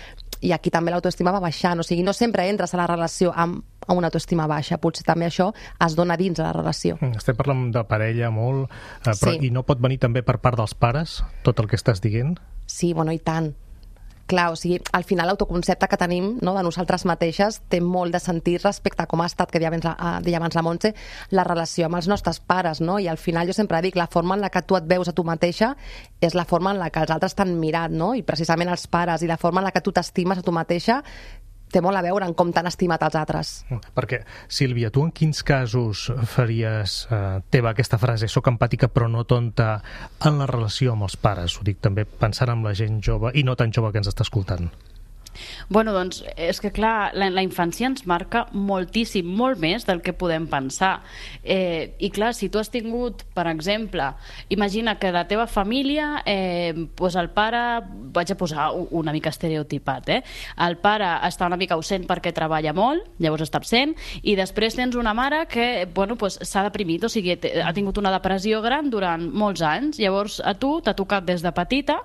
i aquí també l'autoestima va baixant, o sigui, no sempre entres a la relació amb una autoestima baixa, potser també això es dona dins de la relació. Estem parlant de parella molt, però sí. I no pot venir també per part dels pares, tot el que estàs dient? Sí, bueno, i tant. Clar, o sigui, al final l'autoconcepte que tenim, no, de nosaltres mateixes té molt de sentit respecte a com ha estat, que deia abans la Montse, la relació amb els nostres pares, no? I al final jo sempre dic, la forma en la que tu et veus a tu mateixa és la forma en la que els altres t'han mirat, no? I precisament els pares, i la forma en la que tu t'estimes a tu mateixa té molt a veure en com t'han estimat els altres. Perquè, Sílvia, tu en quins casos faries teva aquesta frase, soc empàtica però no tonta, en la relació amb els pares? Ho dic també pensant en la gent jove i no tan jove que ens està escoltant. Bueno, doncs, és que clar, la infància ens marca moltíssim, molt més del que podem pensar. I clar, si tu has tingut, per exemple, imagina que la teva família, doncs el pare, vaig a posar una mica estereotipat, el pare està una mica ausent perquè treballa molt, llavors està absent, i després tens una mare que, bueno, doncs s'ha deprimit, o sigui, ha tingut una depressió gran durant molts anys, llavors a tu t'ha tocat des de petita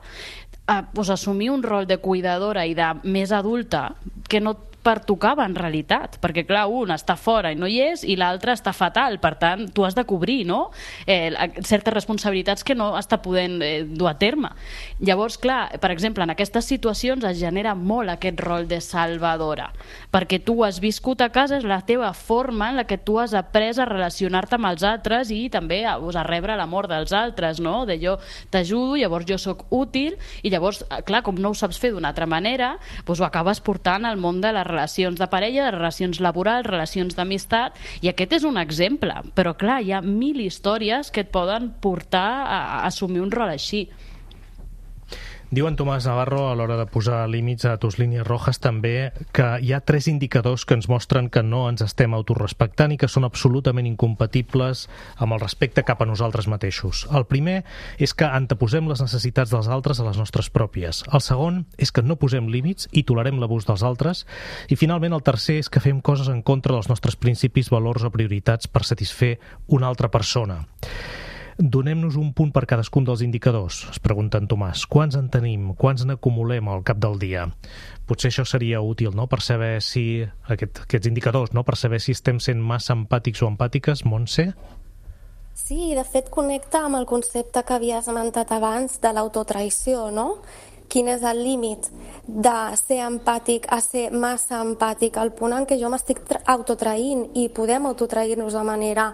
assumir un rol de cuidadora i de més adulta que no pertocava en realitat, perquè clar, un està fora i no hi és i l'altre està fatal, per tant tu has de cobrir, no? Certes responsabilitats que no està podent dur a terme. Llavors, clar, per exemple, en aquestes situacions es genera molt aquest rol de salvadora, perquè tu has viscut a casa, és la teva forma en la que tu has après a relacionar-te amb els altres i també a rebre l'amor dels altres, no? De jo t'ajudo, llavors jo sóc útil, i llavors, clar, com no ho saps fer d'una altra manera, doncs ho acabes portant al món de les relacions de parella, de relacions laborals, relacions d'amistat, i aquest és un exemple, però clar, hi ha 1000 històries que et poden portar a assumir un rol així. Diu en Tomàs Navarro, a l'hora de posar límits a tus línies rojas, també que hi ha 3 indicadors que ens mostren que no ens estem autorespectant i que són absolutament incompatibles amb el respecte cap a nosaltres mateixos. El primer és que anteposem les necessitats dels altres a les nostres pròpies. El segon és que no posem límits i tolerem l'abús dels altres. I finalment el tercer és que fem coses en contra dels nostres principis, valors o prioritats per satisfer una altra persona. Donem-nos un punt per cadascun dels indicadors, es pregunta en Tomàs. Quants en tenim? Quants n'acumulem al cap del dia? Potser això seria útil, no?, per saber si aquests indicadors, no?, per saber si estem sent massa empàtics o empàtiques, Montse? Sí, de fet connecta amb el concepte que havies esmentat abans de l'autotraïció, no? Quin és el límit de ser empàtic a ser massa empàtic, al punt en què jo m'estic autotraïnt, i podem autotrair-nos de manera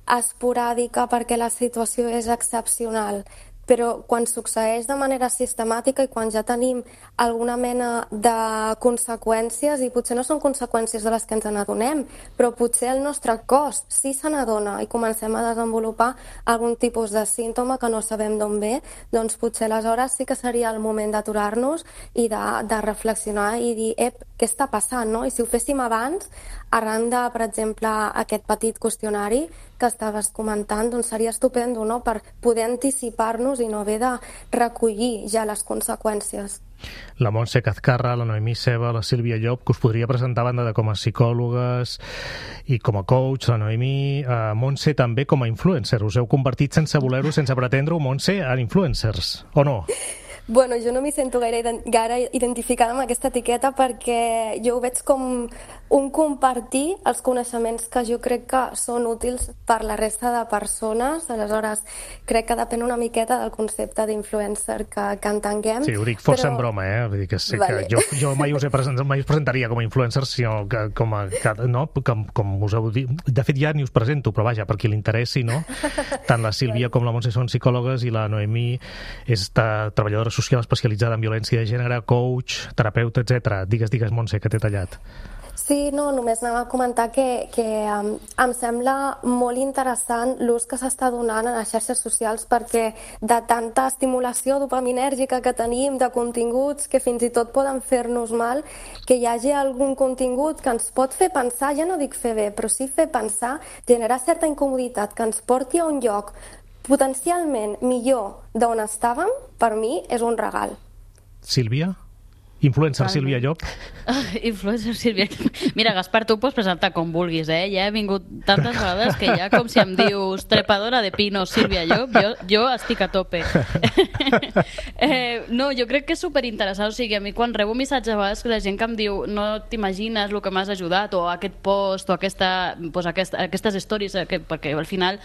esporàdica perquè la situació és excepcional. Però quan succeeix de manera sistemàtica i quan ja tenim alguna mena de conseqüències, i potser no són conseqüències de les que ens n'adonem, però potser el nostre cos sí se n'adona i comencem a desenvolupar algun tipus de símptoma que no sabem d'on ve, doncs potser aleshores sí que seria el moment d'aturar-nos i de reflexionar i dir, què està passant, no? I si ho féssim abans, arran de, per exemple, aquest petit qüestionari que estaves comentant, doncs seria estupendo, no?, per poder anticipar-nos i no haver de recollir ja les conseqüències. La Montse Cazcarra, la Noemí Ceba, la Sílvia Llop, que us podria presentar a banda de com a psicòlogues i com a coach, la Noemí, Montse també com a influencer. Us heu convertit sense voler-ho, sense pretendre-ho, Montse, en influencers, o no? Bueno, jo no m'hi sento gaire identificada amb aquesta etiqueta perquè jo ho veig com un compartir els coneixements que jo crec que són útils per la resta de persones. Aleshores, crec que depèn una miqueta del concepte d'influencer que entenguem. Sí, ho dic força en broma, Vull dir que sé vale. Que jo mai us presentaria com a influencer, sinó que com us heu dit. De fet, ja ni us presento, però vaja, per qui li interessi, no? Tant la Sílvia com la Montse són psicòlogues i la Noemí és treballadora social especialitzada en violència de gènere, coach, terapeuta, etc. Digues, Montse, que t'he tallat. Sí, no, només anava a comentar que em sembla molt interessant l'ús que s'està donant en les xarxes socials, perquè de tanta estimulació dopaminèrgica que tenim, de continguts que fins i tot poden fer-nos mal, que hi hagi algun contingut que ens pot fer pensar, ja no dic fer bé, però sí fer pensar, generar certa incomoditat, que ens porti a un lloc potencialment millor d'on estàvem, per mi és un regal. Sílvia? Influencer Sílvia Llop? Influencer Sílvia Llop. Mira, Gaspar, tu pots presentar com vulguis, Ja he vingut tantes vegades que ja, com si em dius trepadora de pino Sílvia Llop, jo estic a tope. No, jo crec que és superinteressant. O sigui, a mi quan rebo missatges a vegades que la gent que em diu no t'imagines el que m'has ajudat, o aquest post, o aquestes stories, perquè al final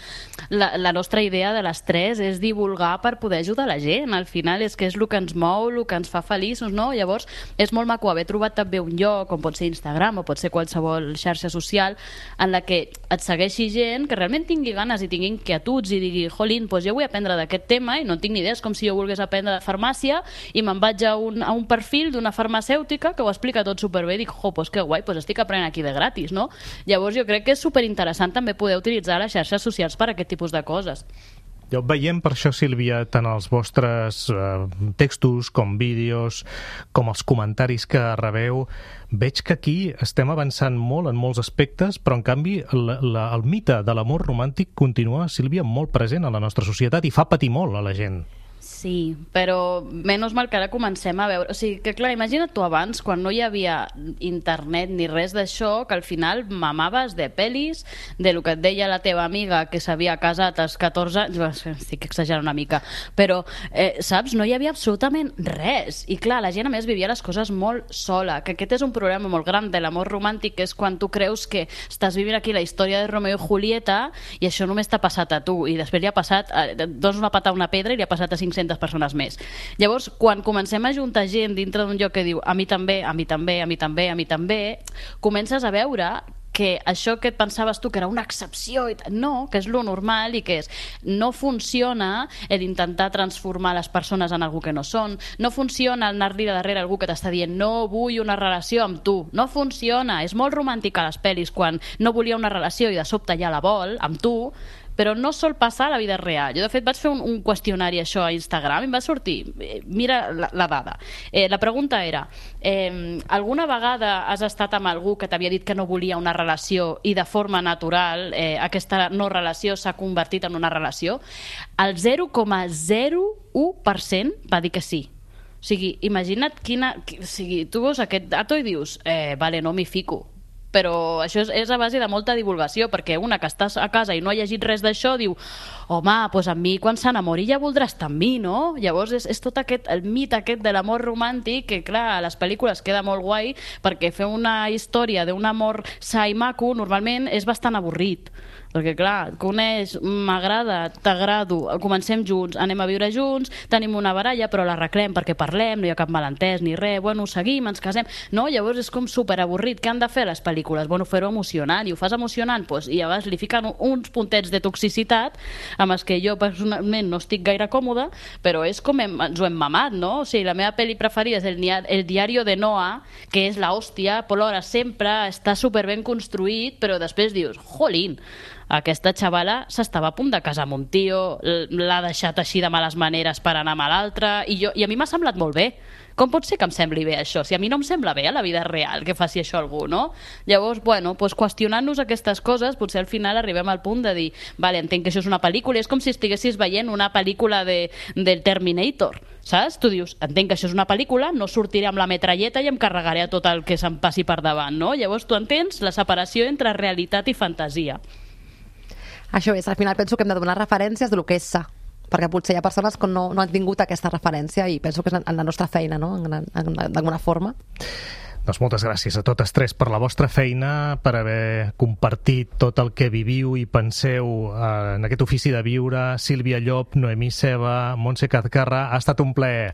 la nostra idea de les tres és divulgar per poder ajudar la gent. Al final és que és el que ens mou, el que ens fa feliços, no? Llavors és molt maco haver trobat també un lloc, com pot ser Instagram o pot ser qualsevol xarxa social, en la que et segueixi gent que realment tingui ganes i tingui inquietuds i digui, jolín, doncs jo vull aprendre d'aquest tema i no tinc ni idea, és com si jo volgués aprendre de farmàcia i me'n vaig a un perfil d'una farmacèutica que ho explica tot superbé i dic, doncs que guai, doncs estic aprenent aquí de gratis, no? Llavors jo crec que és superinteressant també poder utilitzar les xarxes socials per a aquest tipus de coses. Veiem per això, Sílvia, tant els vostres textos com vídeos, com els comentaris que rebeu, veig que aquí estem avançant molt en molts aspectes, però en canvi el mite de l'amor romàntic continua, Sílvia, molt present a la nostra societat i fa patir molt a la gent. Sí, però menys mal que ara comencem a veure... O sigui, que clar, imagina't tu abans, quan no hi havia internet ni res d'això, que al final mamaves de pel·lis, de lo que et deia la teva amiga que s'havia casat als 14 anys... Estic exagerant una mica, però, saps? No hi havia absolutament res. I clar, la gent a més vivia les coses molt sola, que aquest és un problema molt gran de l'amor romàntic, que és quan tu creus que estàs vivint aquí la història de Romeo i Julieta i això només t'ha passat a tu, i després li ha passat... dones una pata a una pedra i li ha passat a 500 persones més. Llavors, quan comencem a juntar gent dintre d'un lloc que diu a mi també, a mi també, a mi també, a mi també, comences a veure que això que et pensaves tu que era una excepció, no, que és lo normal i que és, no funciona l'intentar transformar les persones en algú que no són, no funciona anar-li darrere algú que t'està dient no vull una relació amb tu, no funciona, és molt romàntic a les pel·lis quan no volia una relació i de sobte ja la vol amb tu, però no sol passar a la vida real. Jo, de fet, vaig fer un qüestionari això a Instagram i em va sortir, mira la dada. La pregunta era, alguna vegada has estat amb algú que t'havia dit que no volia una relació i de forma natural aquesta no relació s'ha convertit en una relació? El 0,01% va dir que sí. O sigui, imagina't quina... O sigui, tu veus aquest dato i dius, vale, no m'hi fico. Però això és a base de molta divulgació, perquè una que estàs a casa i no ha llegit res d'això diu, home, doncs amb mi quan s'enamori ja voldrà estar amb mi, no? Llavors és tot aquest, el mit aquest de l'amor romàntic, que clar, a les pel·lícules queda molt guai, perquè fer una història d'un amor sa i maco normalment és bastant avorrit. Perquè clar, coneix, m'agrada, t'agrado, comencem junts, anem a viure junts, tenim una baralla però l'arreglem perquè parlem, no hi ha cap malentès ni res, bueno, seguim, ens casem, no? Llavors és com superavorrit. Què han de fer les pel·lícules? Bueno, fer-ho emocionant, i ho fas emocionant, doncs, i llavors li fiquen uns puntets de toxicitat amb els que jo personalment no estic gaire còmoda, però és com ens ho hem mamat, no? O sigui, la meva pel·li preferida és el Diario de Noah, que és l'hòstia, plora sempre, està superben construït, però després dius, jolín, aquesta xavala s'estava a punt de casar amb un tio, l'ha deixat així de males maneres per anar amb l'altre, i a mi m'ha semblat molt bé. Com pot ser que em sembli bé això? Si a mi no em sembla bé a la vida real que faci això algú, no? Llavors, bueno, doncs qüestionant-nos aquestes coses, potser al final arribem al punt de dir, vale, entenc que això és una pel·lícula, és com si estiguessis veient una pel·lícula del Terminator, saps? Tu dius, entenc que això és una pel·lícula, no sortiré amb la metralleta i em carregaré a tot el que se'm passi per davant, no? Llavors tu entens la separació entre realitat i fantasia. Això és, al final penso que hem de donar referències de lo que és sa, perquè potser hi ha persones que no han tingut aquesta referència i penso que és en la nostra feina, no? D'alguna forma. Doncs moltes gràcies a totes tres per la vostra feina, per haver compartit tot el que viviu i penseu en aquest ofici de viure. Sílvia Llop, Noemí Ceba, Montse Cazcarra, ha estat un plaer.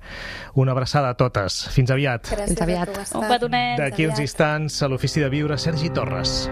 Una abraçada a totes. Fins aviat. Gràcies. Fins aviat. Un petonet. D'aquí uns instants, a l'ofici de viure, Sergi Torres.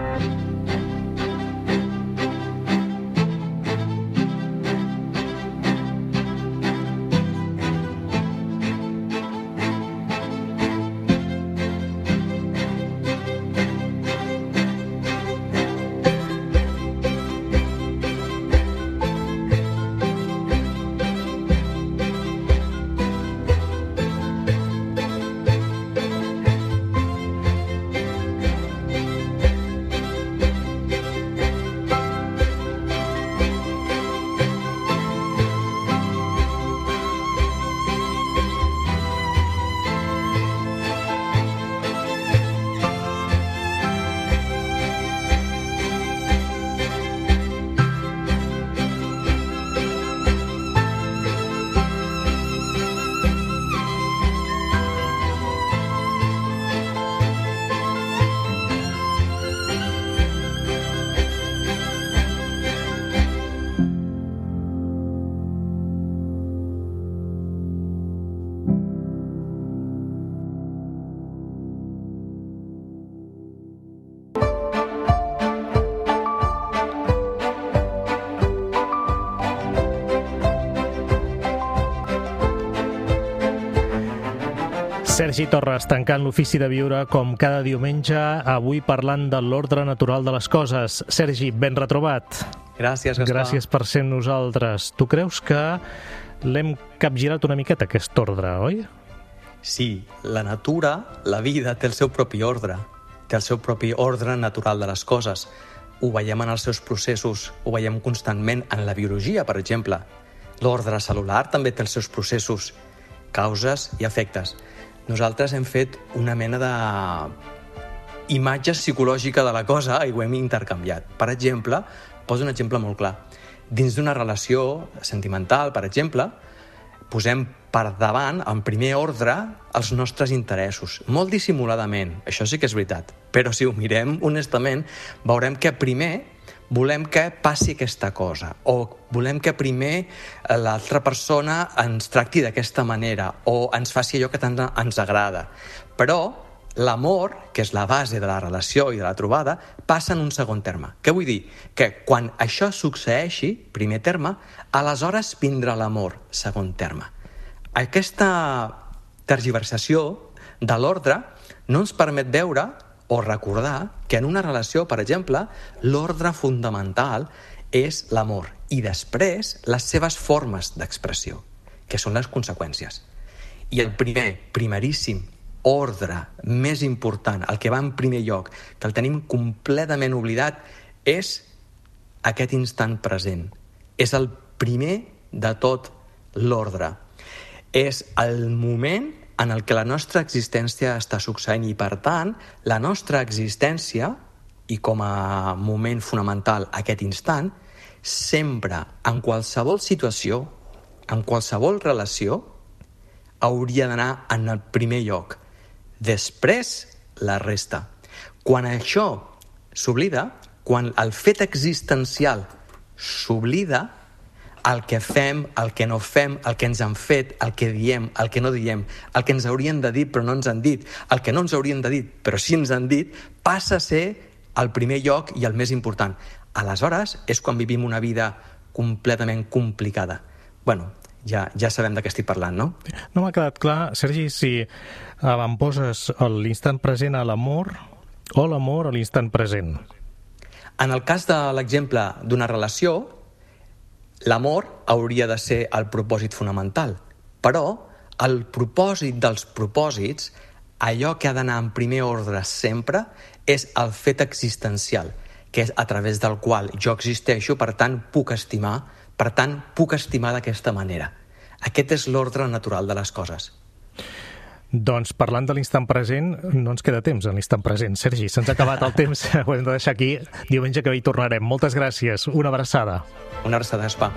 Sergi Torres, tancant l'ofici de viure com cada diumenge, avui parlant de l'ordre natural de les coses. Sergi, ben retrobat. Gràcies, Gaspar. Gràcies per ser amb nosaltres. Tu creus que l'hem capgirat una miqueta, aquest ordre, oi? Sí, la natura, la vida, té el seu propi ordre. Té el seu propi ordre natural de les coses. Ho veiem en els seus processos, ho veiem constantment en la biologia, per exemple. L'ordre cel·lular també té els seus processos, causes i efectes. Nosaltres hem fet una mena de imatge psicològica de la cosa i ho hem intercanviat. Per exemple, poso un exemple molt clar. Dins d'una relació sentimental, per exemple, posem per davant, en primer ordre, els nostres interessos. Molt dissimuladament, això sí que és veritat. Però si ho mirem honestament, veurem que primer volem que passi aquesta cosa, o volem que primer l'altra persona ens tracti d'aquesta manera, o ens faci allò que tant ens agrada. Però l'amor, que és la base de la relació i de la trobada, passa en un segon terme. Què vull dir? Que quan això succeeixi, primer terme, aleshores vindrà l'amor, segon terme. Aquesta tergiversació de l'ordre no ens permet veure o recordar que en una relació, per exemple, l'ordre fundamental és l'amor i després les seves formes d'expressió, que són les conseqüències. I el primeríssim ordre més important, el que va en primer lloc, que el tenim completament oblidat, és aquest instant present. És el primer de tot l'ordre. És el moment en el que la nostra existència està succeint i, per tant, la nostra existència, i com a moment fonamental aquest instant, sempre, en qualsevol situació, en qualsevol relació, hauria d'anar en el primer lloc. Després, la resta. Quan això s'oblida, quan el fet existencial s'oblida, el que fem, el que no fem, el que ens han fet, el que diem, el que no diem, el que ens haurien de dir però no ens han dit, el que no ens haurien de dir però sí ens han dit, passa a ser el primer lloc i el més important. Aleshores és quan vivim una vida completament complicada. Bueno, ja sabem de què estic parlant, no? No m'ha quedat clar, Sergi, si avantposes l'instant present a l'amor o l'amor a l'instant present. En el cas de l'exemple d'una relació, l'amor hauria de ser el propòsit fonamental, però el propòsit dels propòsits, allò que ha d'anar en primer ordre sempre, és el fet existencial, que és a través del qual jo existeixo, per tant puc estimar, per tant puc estimar d'aquesta manera. Aquest és l'ordre natural de les coses. Doncs parlant de l'instant present, no ens queda temps en l'instant present. Sergi, se'ns ha acabat el temps, ho hem de deixar aquí. Diumenge que ve hi tornarem. Moltes gràcies, una abraçada. Una abraçada, Gaspar.